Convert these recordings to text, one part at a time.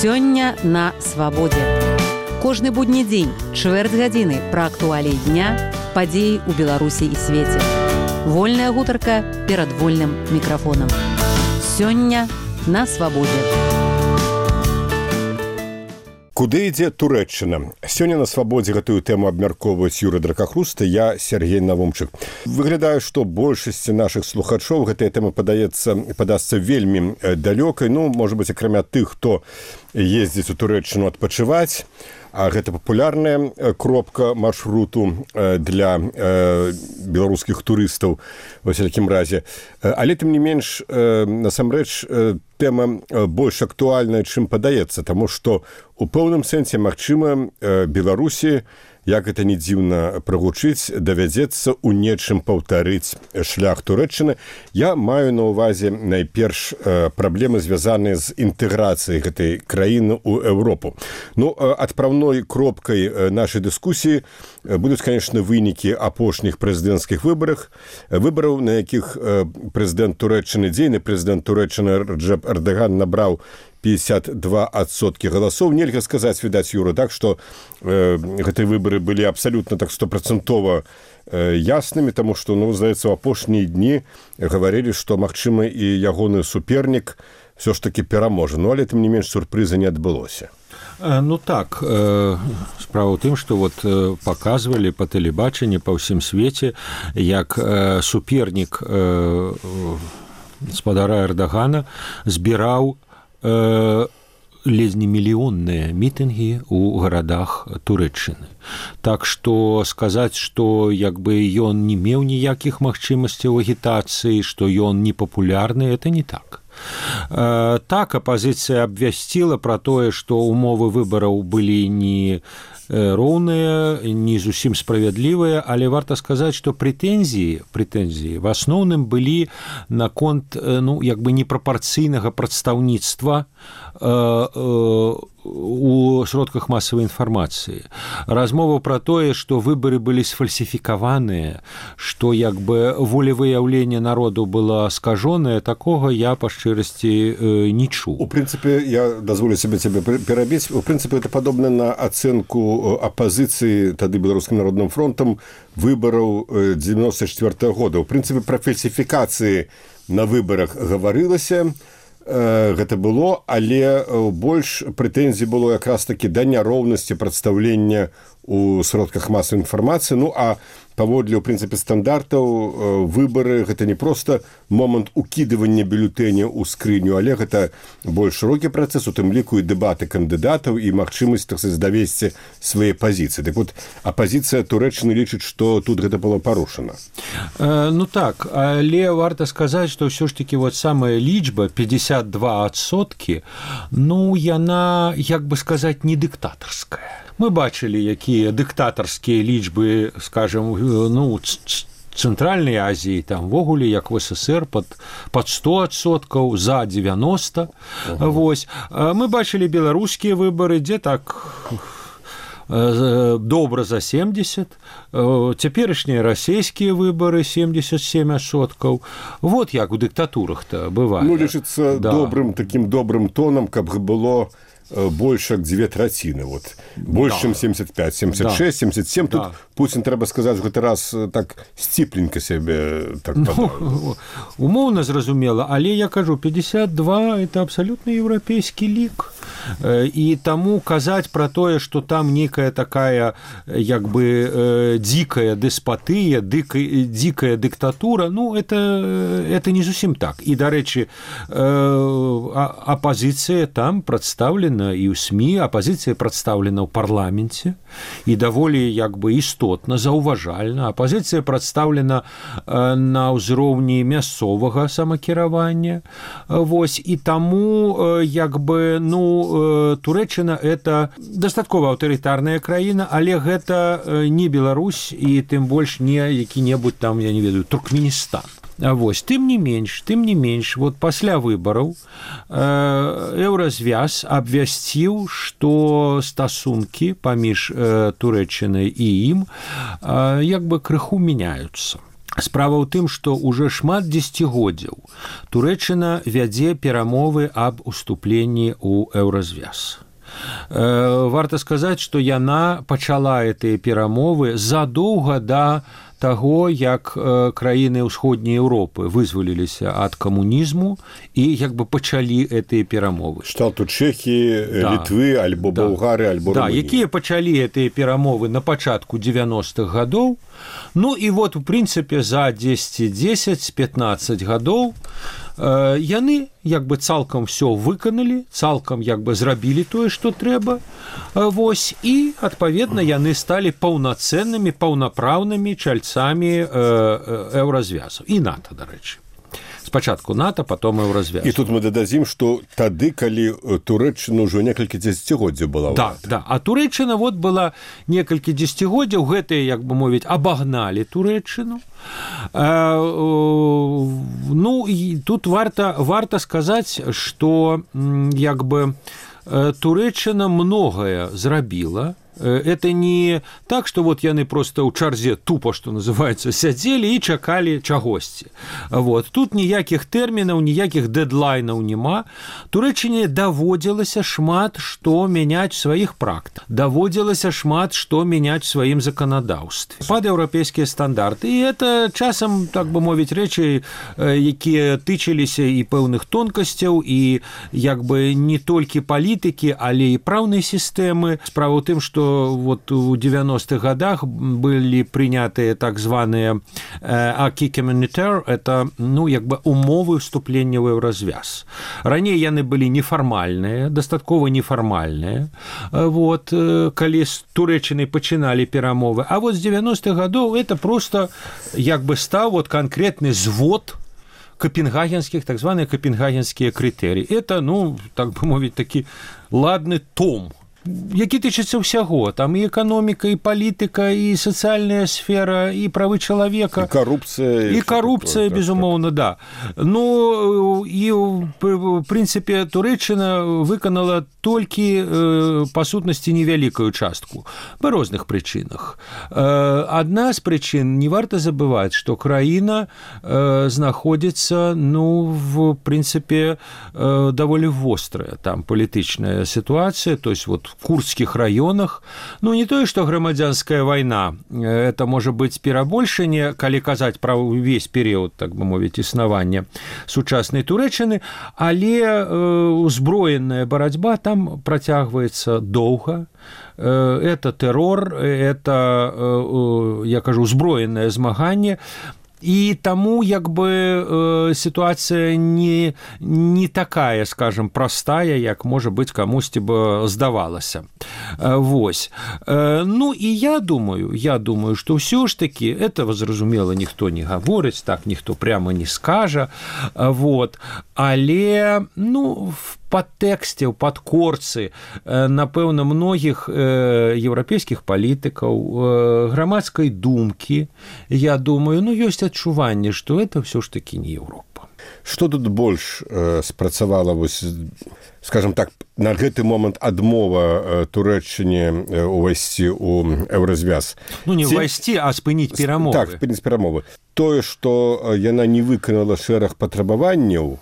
Сёння на свабодзе. Кожны будні дзень, чвэрць гадзіны пра актуаліі дня, падзеі ў Беларусі і свеце. Вольная гутарка перад вольным мікрафонам. Сёння на свабодзе. Куды ідзе Турэччына? Сёння на свабодзе гэтую тэму абмяркоўваюць Юрый Дракахруста, я Сергей Навумчык. Выглядае, што большасці нашых слухачоў гэтая тэма падасца вельмі далёкай, можа быць, акрамя тых, хто ездзіць у Турэччыну адпачываць, а гэта папулярная кропка маршруту для беларускіх турыстаў ва всякім разе. Але тым не менш, насамрэч, тэма больш актуальная, чым падаецца, таму што у пэўным сэнсе, магчыма, Беларусі, як гэта не дзіўна прагучыць, давядзецца ў нечым паўтарыць шлях Турэччыны. Я маю на ўвазе найперш праблемы, звязаныя з інтэграцыяй гэтай краіны ў Еўропу. Адпраўной кропкай нашай дыскусіі будуць, конечно, вынікі апошніх прэзідэнцкіх выбараў, на якіх прэзідэнт Турэччыны, дзейны прэзідэнт Турэччыны Реджеп Эрдоган набраў 52% галасоў. Нельга сказаць, відаць, Юра, так, што гэтыя выбары былі абсалютна так 100% яснымі, таму што, здаецца, у апошнія дні гаварылі, што, магчыма, і ягоны супернік ўсё ж такі пераможа. Але, тым не менш, сюрпрыза не адбылося. Так, справа ў тым, што паказвалі па тэлебачанні па ўсім свеце, як супернік гаспадара Эрдогана збіраў ледзь не мільённыя мітынгі ў гарадах Турэччыны. Так што сказаць, што ён не меў ніякіх магчымасцяў агітацыі, што ён не папулярны, это не так. Так, апазіцыя абвясціла пра тое, што умовы выбараў былі не роўныя, не зусім справядлівыя, але варта сказаць, што прэтэнзіі в асноўным былі наконт непрапарцыйнага прадстаўніцтва у сродках масавай інфармацыі. Размова пра тое, што выбары былі сфальсіфікаваныя, што волевыяўленне народу было скажонае, такога я па шчырасці не чуў. У прынцыпе, я дазволю цябе перабіць, у прынцыпе, это падобна на ацэнку апазіцыі тады Беларускім народным фронтам выбараў 94-го года. У прынцыпе, пра фальсіфікацыі на выбарах гаварылася, гэта было, але больш прэтэнзій было якраз такі да няроўнасці прадстаўлення у сродках масавай інфармацыі. А паводле, у прынцыпе, стандартаў, выбары гэта не проста момант укідывання бюлетэня ў скрыню, але гэта больш шырокі працэс, у тым ліку і дэбаты кандыдатаў, і магчымасць давесці свае пазіцыі. Апазіцыя Турэччыны лічыць, што тут гэта было парушана. Так, але варта сказаць, што ўсё ж такі самая лічба 52%, яна, не дыктатарская. Мы бачылі, якія дыктатарскія лічбы, скажем, Цэнтральнай Азіі, там вогуле, як в СССР, пад 100%, за 90%. Мы бачылі беларускія выбары, дзе так добра за 70%, цяперашнія расійскія выбары 77%. Як у дыктатурах-то бывае. Лічыцца такім добрым тонам, каб было больш як 2/3. Больш, чым 75, 76, 77. Тут Пуцін, трэба сказаць, гэты раз так сціпленька сябе падаў. Умоўна зразумела, але я кажу, 52 – это абсалютна еўрапейскі лік. І таму казаць пра тое, што там нейкая такая дзікая дэспатыя, дзікая дыктатура, это не зусім так. І, дарэчы, апазіцыя там прадстаўлена і ў СМІ, апазіцыя прадстаўлена ў парламенце і даволі істотна, заўважальна. Апазіцыя прадстаўлена на ўзроўні мясцовага самакіравання. І таму Турэччына это дастаткова аўтарытарная краіна, але гэта не Беларусь і тым больш не які-небудзь там, я не ведаю, Туркменістан. Тым не менш, пасля выбараў Еўразвяз абвясціў, што стасункі паміж Турэччынай і ім крыху мяняюцца. Справа ў тым, што ўжо шмат дзесяцігоддзяў Турэччына вядзе перамовы аб уступленні ў еўразвяз. Варта сказаць, што яна пачала гэтыя перамовы задоўга да таго, як краіны ўсходняй Еўропы вызваліліся ад камунізму і як бы пачалі гэтыя перамовы. Шталту Чэхіі, Літвы, альбо Балгары, альбо Румыніі. Якія пачалі гэтыя перамовы на пачатку 90-х гадоў. Ну і вот, у прынцыпе, за 10-15 гадоў яны як бы цалкам все выканалі, цалкам як бы зрабілі тое, што трэба. Вось, і, адпаведна, яны сталі паўнацэннымі, паўнапраўнымі чальцамі еўразвязу. І НАТО, дарэчы. Спачатку НАТО, потом еўразвяз. І тут мы дададзім, што тады, калі Турэччына ўжо некалькі дзесяцігоддзяў была. Да. А Турэччына вот была некалькі дзесяцігоддзяў, гэтыя, як бы мовіць, абагналі Турэччыну. Ну, і тут варта сказаць, што як бы Турэччына многае зрабіла. Это не так, што вот яны просто ў чарзе тупо, што называецца, сядзелі і чакалі чагосьці. Вот. Тут ніякіх тэрмінаў, ніякіх дэдлайнаў няма. Турэччыне даводзілася шмат што мяняць сваіх практык. Даводзілася шмат што мяняць сваім заканадаўстве. Пад еўрапейскія стандарты. І это часам, так бы мовіць, рэчы, якія тычыліся і пэўных тонкасцяў, і як бы не толькі палітыкі, але і праўнай сістэмы. Справа ў тым, што вот у 90-х годах были приняты так званые acquis communautaire, это, ну, як бы умовы вступлення ў еўразвяз. Раней яны былі нефармальныя, дастаткова нефармальныя, вот, калі з Турэччынай пачыналі перамовы. А вот з 90-х годов это просто як бы стаў вот конкретны звод копенгагенских, так званые копенгагенские критерии. Это, ну, так бы мовіць, такі ладны том, які тычыцца ўсяго, там і эканоміка, і палітыка, і сацыяльная сфера, і правы чалавека, і карупцыя, безумоўна, да. Ну, і в прынцыпе Турэччына выканала толькі па сутнасці невялікую частку па розных прычынах. Адна з прычын, не варта забываць, што краіна знаходзіцца, ну, в прынцыпе даволі вострая там палітычная сітуацыя, то есть вот в курдских районах. Ну, не тое, што грамадзянская вайна, это можа быць перабольшанне, калі казаць пра ўвесь перыяд, так бы мовіць, існавання сучаснай Турэччыны, але узброеная барацьба там працягваецца доўга. Это тэрор, это, я кажу, узброенае змаганне. І таму як бы сітуацыя не такая, скажем, простая, як можа быць камусьці бы здавалася. Вось. Ну і я думаю, што ўсё ж таки этого зразумела ніхто не гаворыць, так ніхто прямо не скажа. Вот. Але, ну, в падтэксце, ў падкорцы, напэўна, многіх еўрапейскіх палітыкаў, грамадскай думкі, я думаю, ну, ёсць адчуванне, што это ўсё ж такі не Еўропа. Што тут больш спрацавала, вось, скажем так, на гэты момант адмова Турэччыне увайсці ў еўразвяз? Ну, не ўвайсці, а спыніць перамовы. Так, спыніць перамовы. Тое, што яна не выканала шэраг патрабаванняў,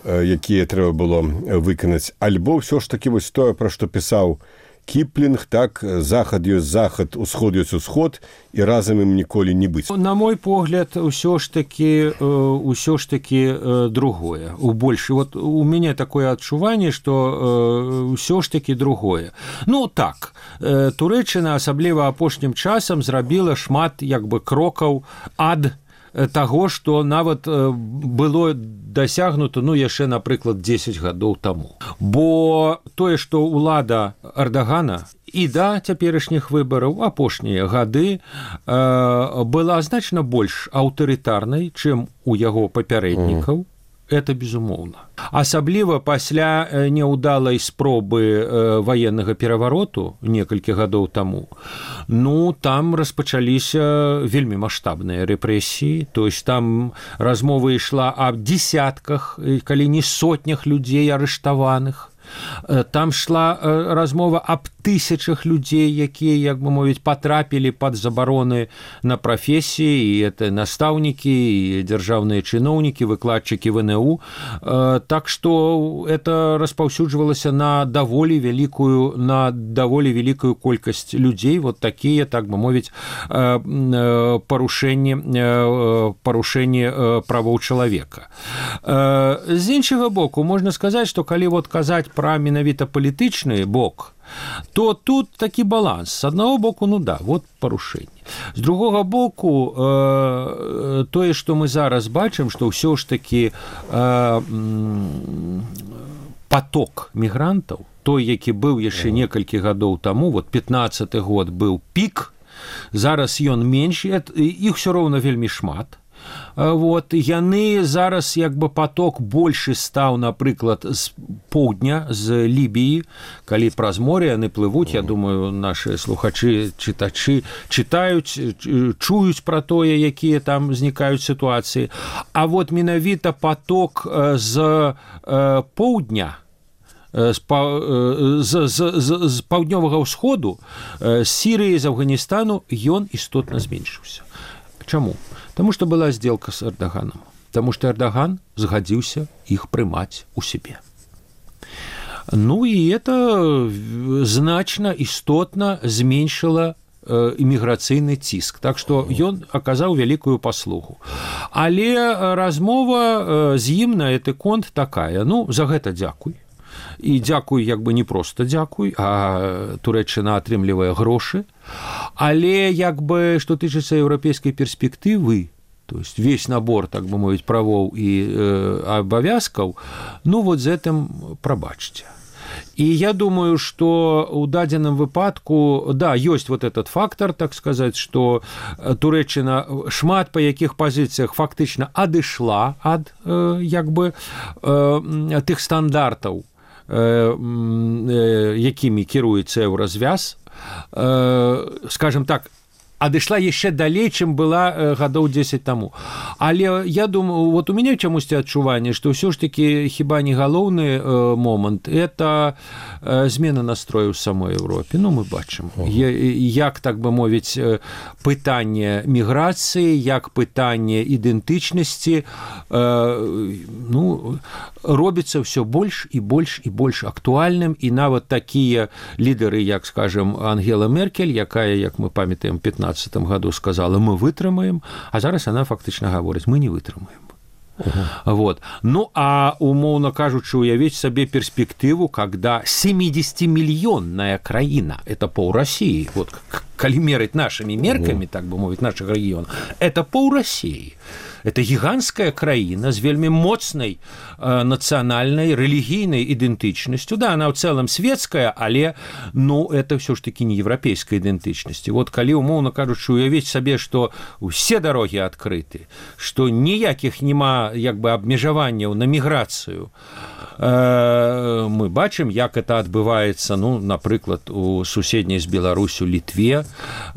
якія трэба было выканаць, альбо ўсё ж такі вось тое, пра што пісаў Кіплінг, так, захад ёсць захад, усход ёсць усход, і разам ім ніколі не быць. На мой погляд, ўсё ж такі другое. Вот у мяне такое адчуванне, што ўсё ж такі другое. Ну, так, Турэччына, асабліва апошнім часам, зрабіла шмат, як бы, крокаў ад таго, што нават было дасягнута, ну, яшчэ, напрыклад, 10 гадоў таму. Бо тое, што ўлада Эрдагана і да цяперашніх выбараў апошнія гады была значна больш аўтарытарнай, чым у яго папярэднікаў. Это безумоўна. Асабліва пасля няўдалай спробы ваеннага перавароту некалькі гадоў таму, ну, там распачаліся вельмі маштабныя рэпрэсіі, то есть там размова ішла аб дзесятках, калі не сотнях людзей арыштаваных. Там шла размова аб тысячах людзей, якія, як бы мовіць, патрапілі пад забароны на прафесіі, і это настаўнікі, і дзяржаўныя чыноўнікі, выкладчыкі ВНУ. Так што это распаўсюджвалася на даволі вялікую колькасць людзей, вот такія, так бы мовіць, парушэнні правоў чалавека. З іншага боку, можна сказаць, што калі вот казаць пра менавіта палітычны бок, то тут такі баланс. З аднаго боку, ну да, вот парушэнне. З другога боку, тое, што мы зараз бачым, што ўсё ж такі поток мігрантаў, той, які быў яшчэ некалькі гадоў таму, вот 15-й год быў пік, зараз ён менш, іх усё роўна вельмі шмат. Вот, яны зараз як бы поток больше стаў, напрыклад, з поўдня, з Лібіі, калі праз море яны плывуць, я думаю, наши слухачы, чытачы чытаюць, чуюць пра тое, якія там узнікаюць сітуацыі. А вот менавіта поток з поўдня, з паўднёвага ўсходу, з Сірыі, з Афганістану, ён істотна зменшыўся. Чаму? Таму што была сделка з Эрдаганом. Таму што Эрдаган згадзіўся іх прымаць у сябе. Ну і это значна, істотна зменшыла іміграцыйны ціск. Так што ён аказаў вялікую паслугу. Але размова з ім на гэты конт такая. Ну, за гэта дзякуй. І дзякуй, як бы не проста дзякуй, а Турэччына атрымлівае грошы. Але, як бы, што тычыцца еўрапейскай перспектывы, то есть весь набор, так бы мовіць, правоў і абавязкаў, ну, вот з гэтым прабачце. І я думаю, што ў дадзеным выпадку, да, ёсць вот этот фактор, так сказаць, што Турэччына шмат па якіх пазіцыях фактычна адышла ад, як бы, тых стандартаў, якімі кіруецца еўразвяз, скажем так, адышла яшчэ далей, чым была гадоў 10 таму. Але я думаю, вот у мяне чамусьці адчуванне, што ўсё ж такі хіба не галоўны момант, это змена настрою ў самой Еўропе. Ну, мы бачым, як, так бы мовіць, пытанне міграцыі, як пытанне ідэнтычнасці, ну, робіцца ўсё больш і больш і больш актуальным, і нават такія лідары, як, скажем, Ангела Меркель, якая, як мы памятаем, 15 году сказала, мы вытрымаем, а зараз она фактычна гаворыць, мы не вытрымаем. Вот. Ну, а умоўна кажучы, уявіць сабе перспектыву, когда 70-мільённая краіна, это пол России, вот, калі мерыць нашими мерками, так бы мовіць, наших регионов, это пол России. Это гіганцкая краіна з вельмі моцнай нацыянальнай, рэлігійнай ідэнтычнасцю. Да, она ў цэлым светская, але, ну, это ўсё ж такі не еўрапейская ідэнтычнасць. Вот калі, умоўна кажучы, уявіць сабе, што ўсе дарогі адкрыты, што ніякіх няма, як бы, абмежаванняў на міграцыю, мы бачым, як это адбываецца, ну, напрыклад, у суседняй з Беларусю Літве,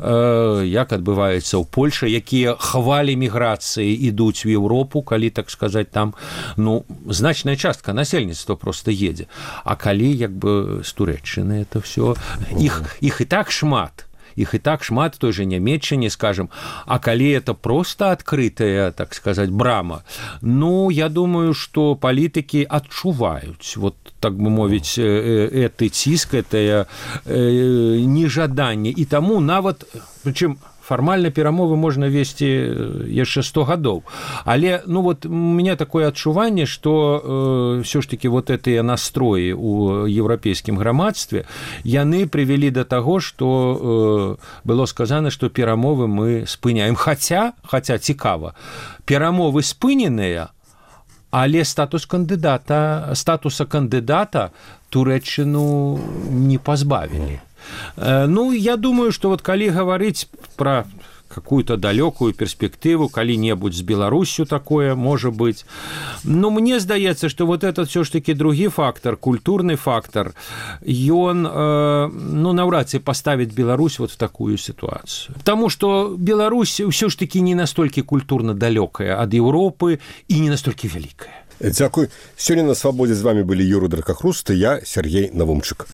як адбываецца ў Польшы, якія хвалі міграцыі ідуць в Еўропу, калі, так сказаць, там, ну, значная частка насельніцтва просто едзе. А калі, як бы, з Турэччыны это все, іх і так шмат, той же Нямецчыне, скажем, а калі это просто адкрытая, так сказать, брама, ну, я думаю, что палітыкі адчуваюць, вот, так бы мовіць, гэты ціск, гэтае нежаданне, і таму нават, прычым, фармальна перамовы можна весці яшчэ 100 гадоў. Але, ну, вот, у меня такое адчуванне, што ўсё ж таки вот гэтыя настроі ў еўрапейскім грамадстве, яны прывялі да таго, што было сказана, што перамовы мы спыняем. Хаця цікава, перамовы спыненыя, але статуса кандыдата Турэччыну не пазбавілі. Ну, я думаю, что вот калі говорить про какую-то далекую перспективу, калі-небудзь з Беларусью такое, может быть. Но мне здаецца, что вот этот все ж таки другі фактор, культурный фактор, ён, ну, наўрад ці поставить Беларусь вот в такую ситуацию. Потому что Беларусь все ж таки не настолько культурно далекая от Европы и не настолько великая. Дзякуй. Сёння на свабодзе з вами былі Юрый Дракахруст і я, Сергей Навумчык.